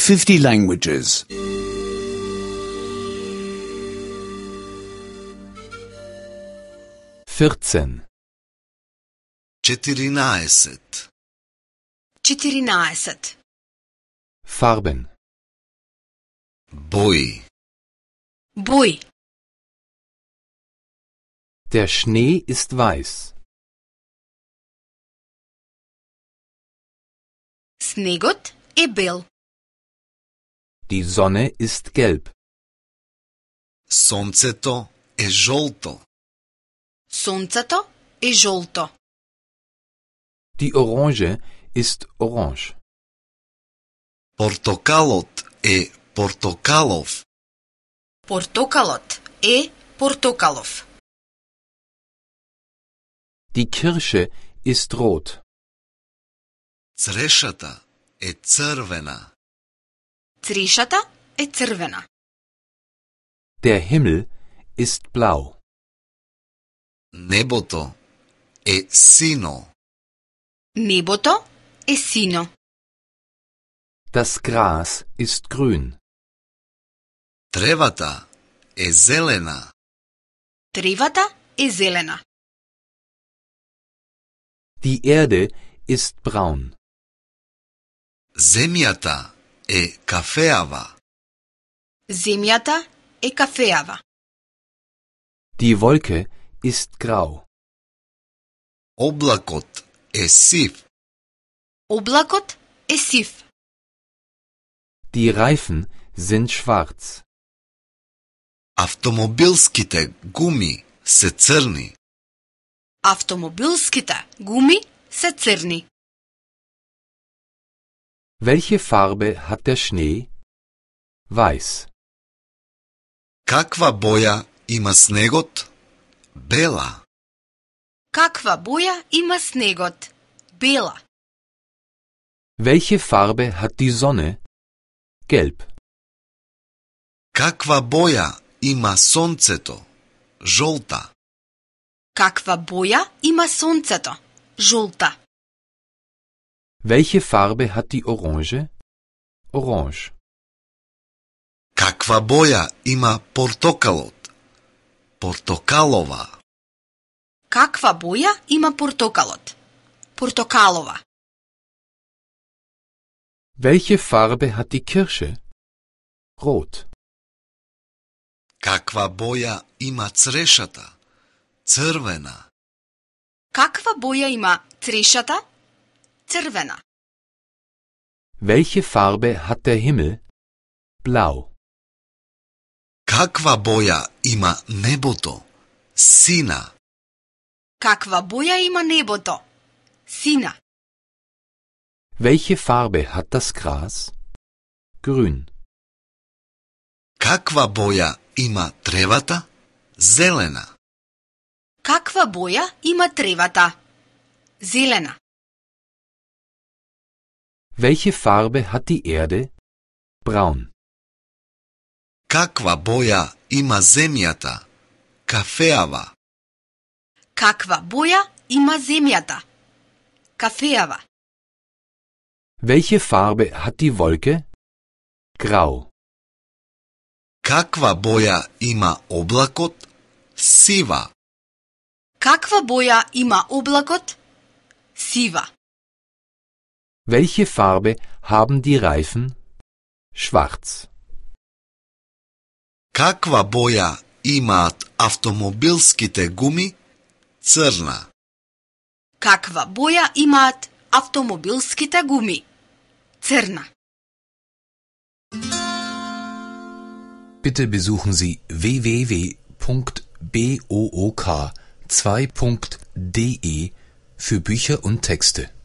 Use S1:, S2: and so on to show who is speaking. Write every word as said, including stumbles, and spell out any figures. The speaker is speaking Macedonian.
S1: fifty languages.
S2: vierzehn.
S3: четиринаесет.
S4: четиринаесет.
S2: Farben.
S3: Бои.
S4: Бои.
S2: Der Schnee ist weiß.
S4: Снегот е бел.
S2: Die Sonne ist gelb.
S3: Сонцето е жолто.
S4: Сонцето е жолто.
S2: Die Orange ist orange.
S3: Портокалот е портокалов.
S4: Портокалот е портокалов.
S2: Die Kirsche ist rot.
S3: Црешата е црвена.
S4: Црешата е црвена.
S2: Der Himmel ist blau.
S3: Небото е сино.
S4: Небото е сино.
S2: Das Gras ist grün.
S3: Тревата е зелена.
S4: Тревата е зелена.
S2: Die Erde ist braun.
S3: Земјата е кафеава.
S4: Земјата е кафеава.
S2: Die Wolke ist grau.
S3: Облакот е сив.
S4: Облакот е сив.
S2: Die Reifen sind schwarz.
S3: Автомобилските гуми се црни.
S4: Автомобилските гуми се црни.
S2: Welche Farbe hat der Schnee? Weiß.
S3: Каква боја има снегот? Бела.
S4: Каква боја има снегот? Бела.
S2: Welche Farbe hat die Sonne? Gelb.
S3: Каква боја има сонцето? Жолта.
S4: Каква боја има сонцето? Жолта.
S2: Welche Farbe hat die Orange? Orange.
S3: Каква боја има портокалот? Портокалова.
S4: Каква боја има портокалот? Портокалова.
S2: Welche Farbe hat die Kirsche? Rot.
S3: Каква боја има црешата? Црвена.
S4: Каква боја има црешата? Црвена.
S2: Welche Farbe hat der Himmel? Blau.
S3: Каква боја има небото? Сина.
S4: Каква боја има небото? Сина.
S2: Welche Farbe hat das Gras? Grün.
S3: Каква боја има тревата? Зелена.
S4: Каква боја има тревата? Зелена.
S2: Welche Farbe hat die Erde? Braun.
S3: Каква боја има земјата? Кафеава.
S4: Каква боја има земјата? Кафеава.
S2: Welche Farbe hat die Wolke? Grau.
S3: Каква боја има облакот? Сива.
S4: Каква боја има облакот? Сива.
S2: Welche Farbe haben die Reifen? Schwarz.
S3: Каква боја имаат автомобилските гуми? Црна.
S4: Каква боја имаат автомобилските гуми? Црна.
S5: Bitte besuchen Sie w w w punkt book zwei punkt de für Bücher und Texte.